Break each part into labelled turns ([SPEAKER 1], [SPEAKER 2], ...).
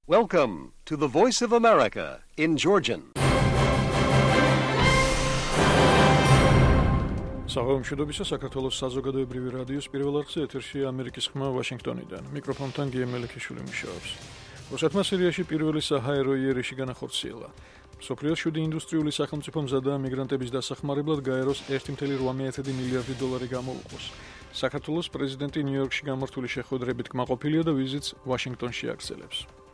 [SPEAKER 1] Welcome to the Voice of America in Georgian.
[SPEAKER 2] Საღამომშვიდობისა საქართველოს საზოგადოებრივი რადიოს პირველ არხზე ეთერშია ამერიკის ხმა ვაშინგტონიდან. მიკროფონთან გიე მელიქიშვილი მუშაობს. რუსეთმა სირიაში პირველი საჰაერო იერიში განახორციელა. მსოფლიოს 7 ინდუსტრიული სახელმწიფო მზადაა მიგრანტების დასახმარებლად გაეროს 1.8 მილიარდი დოლარი გამოუყოს. საქართველოს პრეზიდენტი ნიუ-იორკში გამართული შეხვედრებით კმაყოფილია და ვიზიტს ვაშინგტონში აგრძელებს.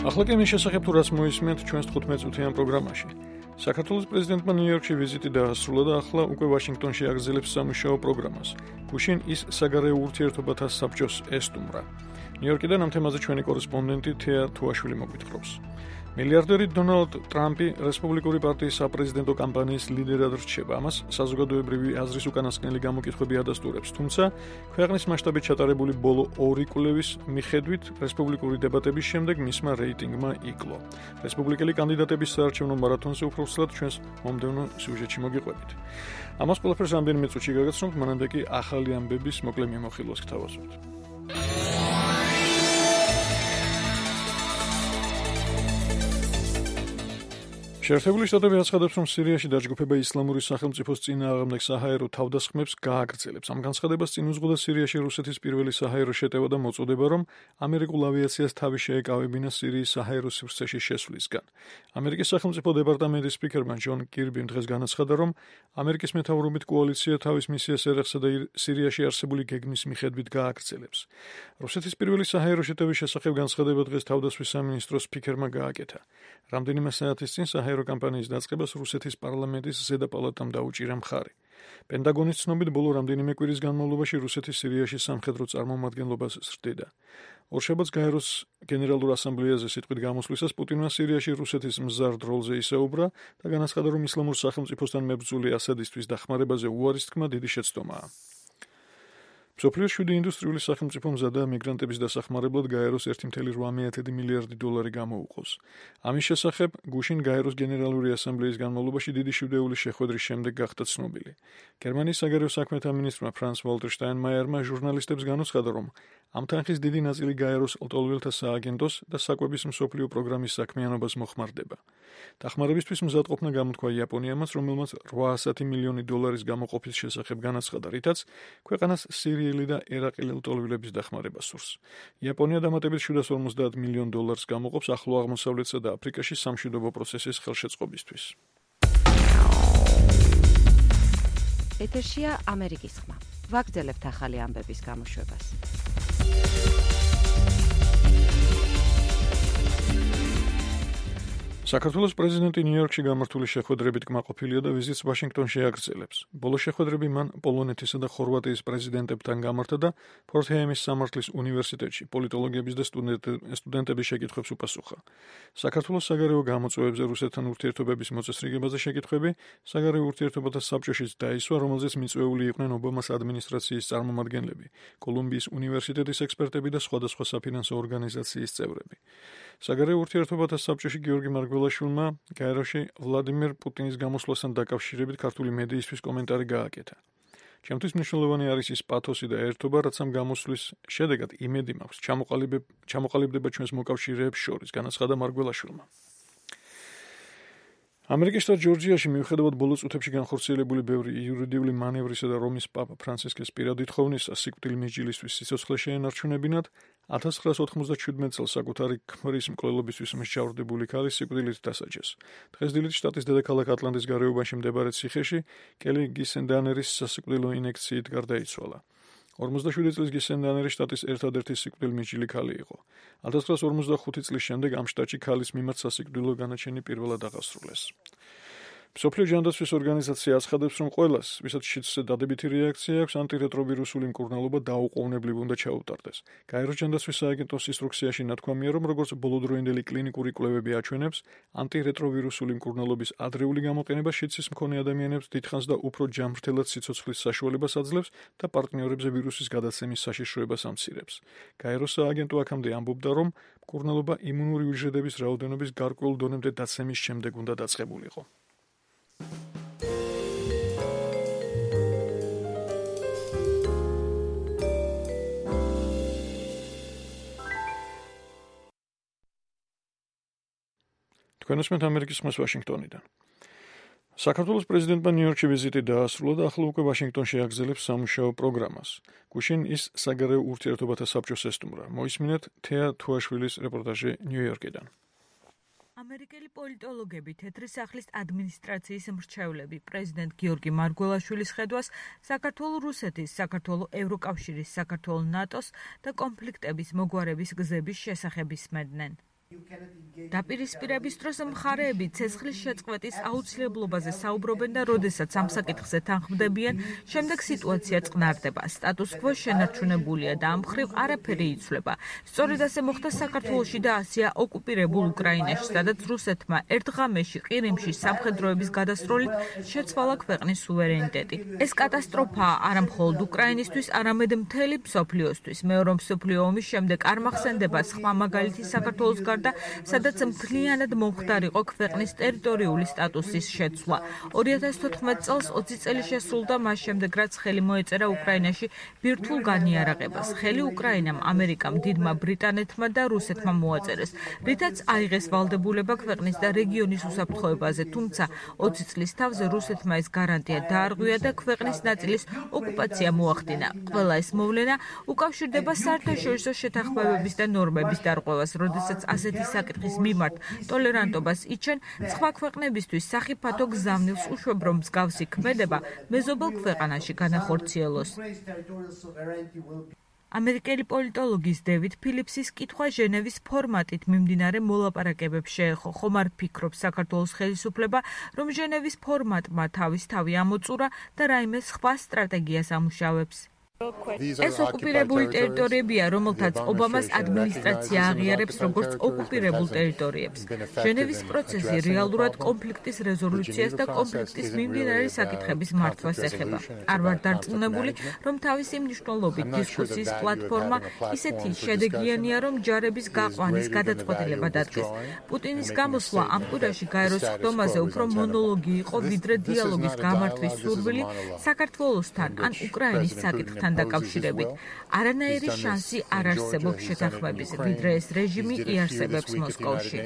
[SPEAKER 2] ახლა კი მის შესახებ თუ რაც მოისმენთ ჩვენს 15 წუთიან პროგრამაში. საქართველოს პრეზიდენტმა ნიუ-იორკში ვიზიტი დაასრულა და ახლა უკვე ვაშინგტონში აგრძელებს სამუშაო პროგრამას. გუშინ ის საგარეო ურთიერთობათა საბჭოს ესტუმრა. ნიუ-იორკიდან ამ თემაზე ჩვენი კორესპონდენტი თეა თუაშვილი მოგვითხრობს. მილიარდერი დონალდ ტრამპი რესპუბლიკური პარტიის საპრეზიდენტო კამპანიის ლიდერად რჩება. ამას საზოგადოებრივი აზრის უკანასკნელი გამოკითხვები ადასტურებს. თუმცა, ქვეყნის მასშტაბით ჩატარებული ბოლო 2 კვლევის მიხედვით, რესპუბლიკური დებატების შემდეგ მისმა რეიტინგმა იკლო. რესპუბლიკელი კანდიდატების საარჩევნო მარათონზე უფრო სრულად ჩვენს მომდევნო სიუჟეტში მოგიყვებით. ამას ყველაფერს რამდენიმე წუთში გაგაცნობთ, მანამდე კი ახალი ამბების მოკლე მიმოხილვას გთავაზობთ. შეერთებული შტატები აცხადებს, რომ სირიაში დაჯგუფება ისლამური სახელმწიფოს წინააღმდეგ საჰაერო თავდასხმებს გააგრძელებს. ამ განცხადებას წინ უძღოდა სირიაში რუსეთის პირველი საჰაერო შეტევა და მოწოდება, რომ ამერიკულ ავიაციას თავი შეეკავებინა სირიის საჰაერო სივრცეში შესვლისგან. ამერიკის სახელმწიფო დეპარტამენტის სპიკერმა ჯონ კირბიმ დღეს განაცხადა, რომ ამერიკის მეთაურობით კოალიცია თავის მისიას ერეხსა და სირიაში არსებული გეგმის მიხედვით გააგრძელებს. რუსეთის პირველი საჰაერო შეტევის შესახებ განცხადება დღეს თავდასხმის სამინისტროს სპიკერმა გააკეთა. რამდენიმე საათის წინ საჰაერო კამპანიის დაწყებას რუსეთის პარლამენტის ზედა პალატამ დაუჭირა მხარი. პენტაგონის ცნობით, ბოლო რამდენიმე კვირის განმავლობაში რუსეთის სირიაში სამხედრო წარმომადგენლობას ზრდიდა. ორშაბათს გაეროს გენერალურ ასამბლეაზე სიტყვით გამოსვლისას პუტინმა სირიაში რუსეთის მზარდ როლზე ისაუბრა და განაცხადა, რომ ისლამურ სახელმწიფოსთან მებრძოლი ასადისთვის დახმარებაზე უარის თქმა დიდი შეცდომაა. მსოფლიოს 7 ინდუსტრიული სახელმწიფო მზადაა მიგრანტების დასახმარებლად გაეროს 1.8 მილიარდი დოლარი გამოუყოს. ამის შესახებ გუშინ გაეროს გენერალური ასამბლეის განმავლობაში დიდი შუდეულის შეხვედრის შემდეგ გახდა ცნობილი. გერმანიის საგარეო საქმეთა მინისტრმა ფრანს ვალტერ შტაინმაიერმა ჟურნალისტებს განუცხადა, რომ ამ თანხის დიდი ნაწილი გაეროს ლტოლვილთა სააგენტოს და საკვების მსოფლიო პროგრამის საქმიანობას მოხმარდება. დახმარებისთვის მზადყოფნა გამოთქვა იაპონიამაც, რომელმაც 800 მილიონი დოლარის გამოყოფის შესახებ განაცხადა, რითაც ქვეყანას სირიელი და ერაყელი ლტოლვილების დახმარება სურს. იაპონია დამატებით 750 მილიონ დოლარს გამოყოფს ახლო აღმოსავლეთსა და აფრიკაში სამშვიდობო პროცესის ხელშეწყობისთვის.
[SPEAKER 3] ეთერშია ამერიკის ხმა. ვაგრძელებთ ახალი ამბების გამოშვებას.
[SPEAKER 2] საქართველოს პრეზიდენტი ნიუ-იორკში გამართული შეხვედრებით კმაყოფილია და ვიზიტს ვაშინგტონში აგრძელებს. ბოლო შეხვედრები მან პოლონეთისა და ხორვატიის პრეზიდენტებთან გამართა და ფორთჰეიმის სამართლის უნივერსიტეტში პოლიტოლოგების და სტუდენტების შეკითხვებს უპასუხა. საქართველოს საგარეო გამოწვევებზე რუსეთთან ურთიერთობების მოწესრიგებაზე შეკითხვები საგარეო ურთიერთობათა საბჭოშიც დაისვა, რომელზეც მიწვეული იყვნენ ობამას ადმინისტრაციის წარმომადგენლები, კოლუმბიის უნივერსიტეტის ექსპერტები და სხვადასხვა საფინანსო ორგანიზაციის წევრები. საგარეო ურთიერთობათა საბჭოში გიორგი მარგველაშვილმა გაეროში ვლადიმერ პუტინის გამოსვლასთან დაკავშირებით ქართული მედიისთვის კომენტარი გააკეთა. ჩემთვის მნიშვნელოვანი არის ის პათოსი და ერთობა, რაც ამ გამოსვლის შედეგად იმედი მაქვს ჩამოყალიბდება ჩვენს მოკავშირეებს შორის, განაცხადა მარგველაშვილმა. ამერიკის შტატ ჯორჯიაში მიუხედავად ბოლო წუთებში განხორციელებული ბევრი იურიდიული მანევრისა და რომის პაპა ფრანცისკეს პირადი თხოვნისა სიკვდილ მიჯილისთვის სიცოცხლე შეენარჩუნებინათ 1997 წელს საკუთარი ქმრის მკვლელობისთვის მსჯავრდებული ქალი სიკვდილით დასაჯეს. დღეს დილით შტატის დედაქალაქ ატლანტის გარეუბანში მდებარე ციხეში კელი გისენდანერის სასიკვდილო ინექციით გარდაიცვალა. 47 წლის გისენდანერი შტატის ერთადერთი სიკვდილმიჯილი ქალი იყო. 1945 წლის შემდეგ ამ შტატში ქალის მიმართ სასიკვდილო განაჩენი პირველად აღასრულეს. მსოფლიო ჯანდაცვის ორგანიზაცია აცხადებს, რომ ყველას, ვისაც შიდსზე დადებითი რეაქცია აქვს, ანტირეტროვირუსული მკურნალობა დაუყოვნებლივ უნდა ჩაუტარდეს. გაეროს ჯანდაცვის სააგენტოს ინსტრუქციაში ნათქვამია, რომ როგორც ბოლოდროინდელი კლინიკური კვლევები აჩვენებს, ანტირეტროვირუსული მკურნალობის ადრეული გამოყენება შიდსის მქონე ადამიანებს დიდხანს და უფრო ჯანმრთელად სიცოცხლის საშუალებას აძლევს და პარტნიორებზე ვირუსის გადაცემის საშიშროებას ამცირებს. გაეროს სააგენტო აქამდე ამბობდა, რომ მკურნალობა იმუნური უჯრედების რაოდენობის გარკვეულ დონემდე დაცემის შემდეგ უნდა დაწყებულიყო. თქვენ უსმენთ ამერიკის ხმას ვაშინგტონიდან. საქართველოს პრეზიდენტმა ნიუ-იორკში ვიზიტი დაასრულა და ახლა უკვე ვაშინგტონში აგრძელებს სამუშაო პროგრამას. გუშინ ის საგარეო ურთიერთობათა საბჭოს ესტუმრა. მოისმინეთ თეა თუაშვილის რეპორტაჟი ნიუ-იორკიდან.
[SPEAKER 4] ამერიკელი პოლიტოლოგები თეთრი სახლის ადმინისტრაციის მრჩევლები პრეზიდენტ გიორგი მარგველაშვილის ხედვას საქართველოს რუსეთის, საქართველოს ევროკავშირის, საქართველოს ნატოს და კონფლიქტების მოგვარების გზების შესახებ ისმენდნენ. დაპირისპირების დროს მხარეები ცეცხლის შეწყვეტის აუცილებლობაზე საუბრობენ და როდესაც ამ საკითხზე თანხმდებიან, შემდეგ სიტუაცია წყნარდება. სტატუს-კვო შენარჩუნებულია და ამ მხრივ არაფერი იცვლება. სწორედ ასე მოხდა საქართველოში და ასია ოკუპირებულ უკრაინაში, სადაც რუსეთმა ერთ ღამეში ყირიმში სამხედროების გადასროლით შეცვალა ქვეყნის სუვერენიტეტი. ეს კატასტროფაა არა მხოლოდ უკრაინისთვის, არამედ მთელი მსოფლიოსთვის. მეორე მსოფლიო ომის შემდეგ არ მახსენდება სხვა მაგალითი საქართველოს სადაც მთლიანად მომხდარიყო ქვეყნის ტერიტორიული სტატუსის შეცვლა. 2014 წელს 20 წელი შესრულდა მას შემდეგ, რაც ხელი მოეწერა უკრაინაში ბირთვულ განიარაღებას. ხელი უკრაინამ, ამერიკამ, დიდმა ბრიტანეთმა და რუსეთმა მოაწერეს, რითაც აიღეს ვალდებულება ქვეყნის და რეგიონის უსაფრთხოებაზე, თუმცა 20 წლის თავზე რუსეთმა ეს გარანტია დაარღვია და ქვეყნის ნაწილის ოკუპაცია მოახდინა. ყველა ეს მოვლენა უკავშირდება საერთაშორისო შეთანხმებების და ნორმების დარღვევას, როდესაც ასეთი საკითხის მიმართ ტოლერანტობას იჩენ, სხვა ქვეყნებისთვის სახიფათო გზავნილს უშვებ, რომ მსგავსი ქმედება მეზობელ ქვეყანაში განახორციელოს. ამერიკელი პოლიტოლოგის დევიდ ფილიპსის კითხვა ჟენევის ფორმატით მიმდინარე მოლაპარაკებებს შეეხო. ხომ არ ფიქრობს საქართველოს ხელისუფლება, რომ ჟენევის ფორმატმა თავი ამოწურა და რაიმე სხვა სტრატეგიას ამუშავებს? ეს ოკუპირებული ტერიტორიებია, რომელთაც ობამას ადმინისტრაცია აღიარებს როგორც ოკუპირებულ ტერიტორიებს. ჟენევის პროცესი რეალურად კონფლიქტის რეზოლუციას და კონფლიქტის მიმდინარე საკითხების მართვას ეხება. არ ვარ დარწმუნებული, რომ თავისი მნიშვნელობით დისკუსიის პლატფორმა ისეთი შედეგიანია, რომ ჯარების გაყვანის გადაწყვეტილება დადგეს. პუტინის გამოსვლა ამ კვირაში გაეროს ხდომაზე უფრო მონოლოგი იყო, ვიდრე დიალოგის გამართვის სურვილი საქართველოსთან ან უკრაინის საკითხთან დაკავშირებით. არანაირი შანსი არ არსებობს შეთანხმების, ვიდრე ეს რეჟიმი იარსებებს მოსკოვში.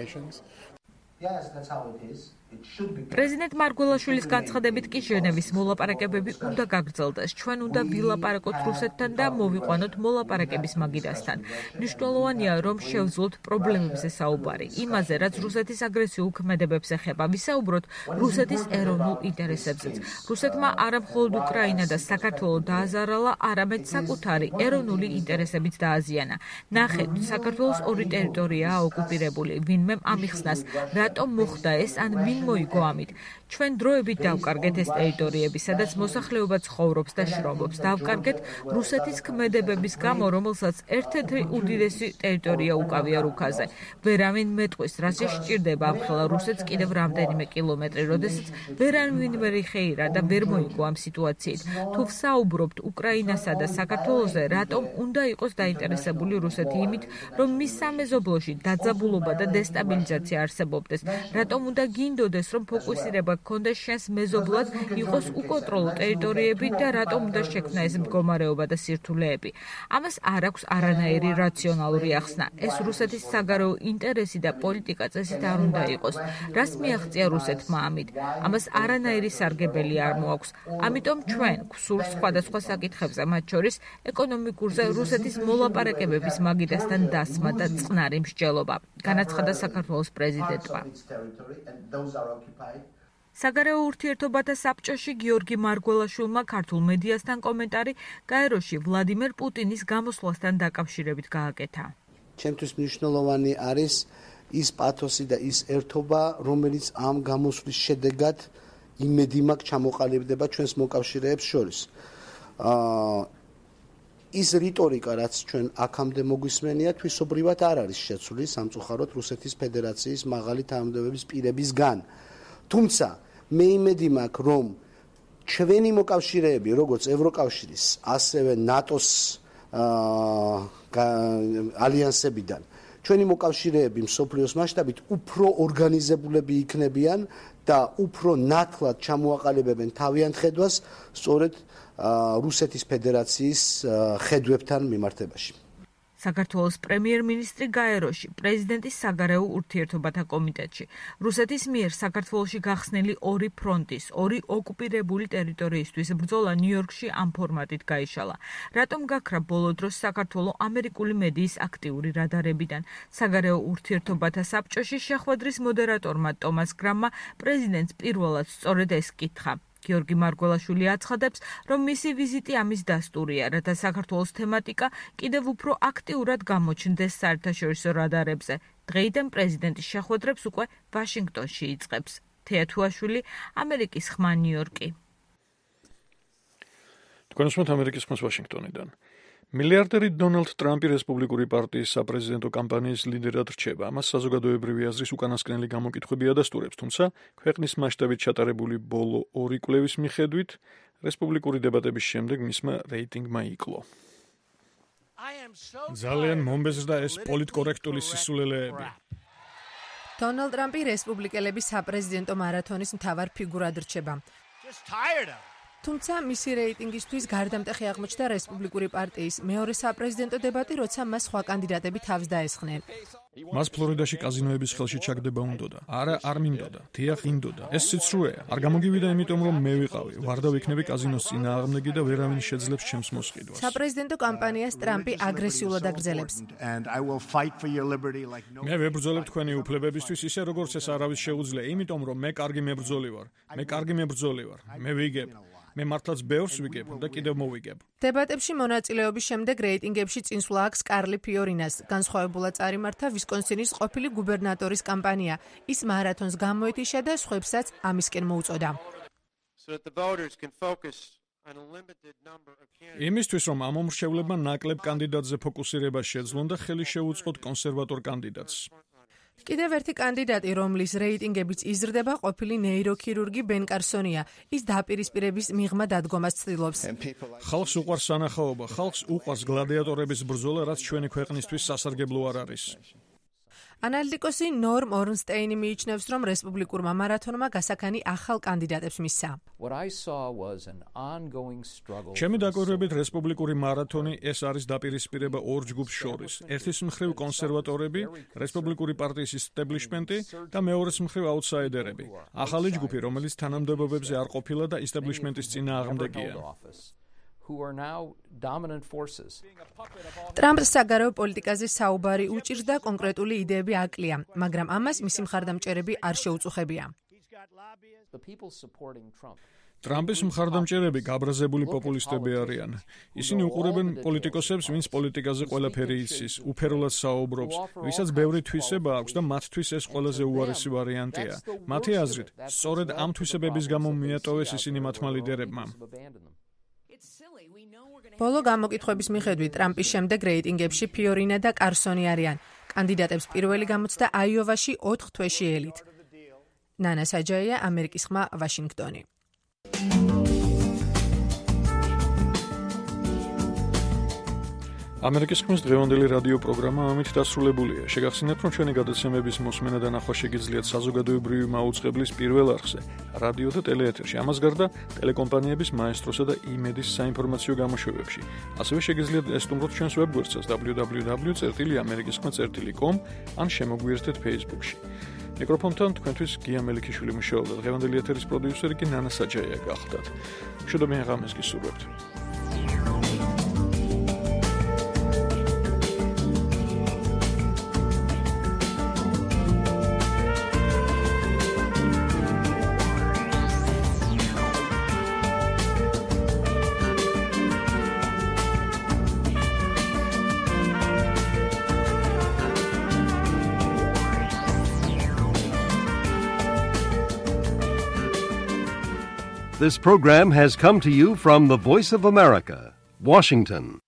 [SPEAKER 4] პრეზიდენტ მარგველაშვილის განცხადებით კი ჟენევის მოლაპარაკებები უნდა გაგრძელდეს. ჩვენ უნდა ვილაპარაკოთ რუსეთთან და მოვიყვანოთ მოლაპარაკების მაგიდასთან. მნიშვნელოვანია, რომ შევძლოთ პრობლემებზე საუბარი. იმაზე, რაც რუსეთის აგრესიულ ქმედებებს ეხება, ვისაუბროთ რუსეთის ეროვნულ ინტერესებზეც. რუსეთმა არა მხოლოდ უკრაინა და საქართველო დააზარალა, არამედ საკუთარი ეროვნული ინტერესებით დააზიანა. ნახეთ, საქართველოს ორი ტერიტორიაა ოკუპირებული. ვინმემ ამიხსნას, რატომ მოხდა ეს ან ვინ მოიგო ამით. ჩვენ დროებით დავკარგეთ ეს ტერიტორიები, სადაც მოსახლეობა ცხოვრობს და შრომობს. დავკარგეთ რუსეთის ქმედებების გამო, რომელსაც ერთ-ერთი უდიდესი ტერიტორია უკავია რუქაზე. ვერავინ მეტყვის, რაც შეჭირდება ამხელა რუსეთს კიდევ რამდენიმე კილომეტრი, როდესაც ვერავინ ვერ იხეირა და ვერ მოიგო ამ სიტუაციით. თუ ვსაუბრობთ უკრაინასა და საქართველოზე, რატომ უნდა იყოს დაინტერესებული რუსეთი იმით, რომ მის სამეზობლოში დაძაბულობა და დესტაბილიზაცია არსებობდეს? რატომ უნდა გინდოდეს, რომ ფოკუსირება გქონდეს შენს მეზობლად, იყოს უკონტროლო ტერიტორიები და რატომ უნდა შექმნა ეს მდგომარეობა და სირთულეები? ამას არ აქვს არანაირი რაციონალური ახსნა. ეს რუსეთის საგარეო ინტერესი და პოლიტიკა წესით არ უნდა იყოს. რას მიაღწია რუსეთმა ამით? ამას არანაირი სარგებელი არ მოაქვს. ამიტომ ჩვენ გვსურს სხვადასხვა საკითხებზე, მათ შორის ეკონომიკურზე რუსეთის მოლაპარაკებების მაგიდასთან დასმა და წყნარი მსჯელობა, განაცხადა საქართველოს პრეზიდენტმა. საგარეო ურთიერთობათა საბჭოში გიორგი მარგველაშვილმა ქართულ მედიასთან კომენტარი გაეროში ვლადიმერ პუტინის გამოსვლასთან დაკავშირებით გააკეთა.
[SPEAKER 5] ჩემთვის მნიშვნელოვანი არის ის პათოსი და ის ერთობა, რომელიც ამ გამოსვლის შედეგად იმედი მაქვს ჩამოყალიბდება ჩვენს მოკავშირეებს შორის. ის რიტორიკა, რაც ჩვენ აქამდე მოგვისმენია, თვისობრივად არ არის შეცვლილი სამწუხაროდ რუსეთის ფედერაციის მაღალი თანამდებობის პირებისგან. თუმცა მე იმედი მაქვს, რომ ჩვენი მოკავშირეები, როგორც ევროკავშირის, ასევე ნატოს ალიანსებიდან, ჩვენი მოკავშირეები მსოფლიოს მასშტაბით უფრო ორგანიზებულები იქნებიან და უფრო ნათლად ჩამოაყალიბებენ თავიანთ ხედვას სწორედ რუსეთის ფედერაციის ხედვებთან მიმართებაში.
[SPEAKER 4] საქართველოს პრემიერ-მინისტრი გაეროში, პრეზიდენტის საგარეო ურთიერთობათა კომიტეტში. რუსეთის მიერ საქართველოში გახსნილი ორი ფრონტის, ორი ოკუპირებული ტერიტორიისთვის ბრძოლა ნიუ-იორკში ამ ფორმატით გაიშალა. რატომ გაქრა ბოლო დროს საქართველოს ამერიკული მედიის აქტიური რადარებიდან? საგარეო ურთიერთობათა საბჭოში შეხვედრის მოდერატორმა ტომას გრამმა პრეზიდენტს პირველად სწორედ ეს კითხა. გიორგი მარგველაშვილი აცხადებს, რომ მისი ვიზიტი ამის დასტურია, რათა საქართველოს თემატიკა კიდევ უფრო აქტიურად გამოჩნდეს საერთაშორისო რადარებზე. დღეიდან პრეზიდენტის შეხვედრებს უკვე ვაშინგტონში იწყებს. თეა თუაშვილი, ამერიკის ხმა ნიუ-იორკი.
[SPEAKER 2] თქვენ უსმენთ ამერიკის ხმას ვაშინგტონიდან. მილიარდერი დონალდ ტრამპი რესპუბლიკური პარტიის საპრეზიდენტო კამპანიის ლიდერად რჩება. ამას საზოგადოებრივი აზრის უკანასკნელი გამოკითხვები ადასტურებს, თუმცა ქვეყნის მასშტაბით ჩატარებული ბოლო ორი კვლევის მიხედვით რესპუბლიკური დებატების შემდეგ მისმა რეიტინგმა იკლო.
[SPEAKER 6] ძალიან მომბეზრდა ეს პოლიტკორექტული სისულელეები.
[SPEAKER 7] დონალდ ტრამპი რესპუბლიკელების საპრეზიდენტო მარათონის მთავარ ფიგურად რჩება. თუმცა მისი რეიტინგისთვის გარდამტეხი აღმოჩნდა რესპუბლიკური პარტიის მეორე საპრეზიდენტო დებატი, როცა მას სხვა კანდიდატები თავს დაესხნენ.
[SPEAKER 2] მას ფლორიდაში კაზინოების ხელში ჩაგდება უნდოდა. არ მინდოდა. თიახ ინდოდა. ეს სიცრუეა. არ გამოგივიდა იმიტომ, რომ მე ვიყავი. ვარდა ვიქნები კაზინოს წინააღმდეგი და ვერავინ შეძლებს ჩემს მოსყიდვას.
[SPEAKER 7] საპრეზიდენტო კამპანიას ტრამპი აგრესიულად აგრძელებს.
[SPEAKER 2] მე ვებრძოლებ თქვენი უფლებებისთვის ისე როგორც ეს არავის შეუძლია, იმიტომ რომ მე კარგი მებრძოლი ვარ. მე ვიგებ. მე მართლაც ბევრს ვიგებ და კიდევ მოვიგებ.
[SPEAKER 7] დებატებში მონაწილეობის შემდეგ რეიტინგებში წინსვლა აქვს კარლი ფიორინას. განსხვავებულად წარიმართა ვისკონსინის ყოფილი გუბერნატორის კამპანია. ის მარათონს გამოეთიშა და სხვებსაც ამისკენ მოუწოდა.
[SPEAKER 2] იმისთვის, რომ ამ მომრჩევლებმა ნაკლებ კანდიდატზე ფოკუსირება შეძლონ და ხელი შეუწყოთ კონსერვატორ კანდიდატს.
[SPEAKER 7] კიდევ ერთი კანდიდატი, რომლის რეიტინგებიც იზრდება, ყოფილი ნეიროქირურგი ბენ კარსონია. ის დაპირისპირების მიღმა დადგომას ცდილობს.
[SPEAKER 2] ხალხს უყვარს სანახაობა, ხალხს უყვარს გლადიატორების ბრძოლა, რაც ჩვენი ქვეყნისთვის სასარგებლო არ არის.
[SPEAKER 7] ანალიტიკოსი ნორმ ორნსტეინი მიიჩნევს, რომ რესპუბლიკურმა მარათონმა გასაქანი ახალ კანდიდატებს მისცა.
[SPEAKER 2] ჩემი დაკვირვებით რესპუბლიკური მარათონი ეს არის დაპირისპირება ორ ჯგუფს შორის. ერთის მხრივ კონსერვატორები, რესპუბლიკური პარტიის ისტაბლიშმენტი და მეორეს მხრივ აუთსაიდერები. ახალი ჯგუფი, რომელიც თანამდებობებზე არ ყოფილა და ისტაბლიშმენტის წინააღმდეგია.
[SPEAKER 7] ტრამპს საგარეო პოლიტიკაზე საუბარი უჭირს და კონკრეტული იდეები აკლია, მაგრამ ამას მისი მხარდამჭერები არ შეუწუხებია.
[SPEAKER 2] ტრამპის მხარდამჭერები გაბრაზებული პოპულისტები არიან. ისინი უყურებენ პოლიტიკოსებს, ვინც პოლიტიკაზე ყველაფერი იცის, უფერულად საუბრობს, ვისაც ბევრი თვისება აქვს და მათთვის ეს ყველაზე უარესი ვარიანტია. მათი აზრით, სწორედ ამ თვისებების გამო მიატოვეს ისინი მათმა ლიდერებმა.
[SPEAKER 7] ბოლო გამოკითხვების მიხედვით ტრამპის შემდეგ რეიტინგებში ფიორინა და კარსონი არიან. კანდიდატებს პირველი გამოცდა აიოვაში 4 თვეში ელით. ნანა საჯაია, ამერიკის ხმა, ვაშინგტონი.
[SPEAKER 2] ამერიკის ხმის დღევანდელი რადიო პროგრამა ამით დასრულებულია. შეგახსენებთ, რომ ჩვენი გადაცემების მოსმენა და ნახვა შეგიძლიათ საზოგადოებრივი მაუწყებლის პირველ არხზე, რადიო და ტელეეთერში. ამას გარდა ტელეკომპანიების მაესტროსა და იმედის საინფორმაციო გამოშვებებში. ასევე შეგიძლიათ ესტუმროთ ჩვენს ვებგვერდსაც www.amerikiskhma.com ან შემოგვიერთდეთ Facebook-ში. მიკროფონთან თქვენთვის გია მელიქიშვილი მუშაობდა. დღევანდელი ეთერის პროდიუსერი კი ნანა საჯაია გახლდათ. მშვიდობიან ღამეს გისურვებთ.
[SPEAKER 1] This program has come to you from the Voice of America, Washington.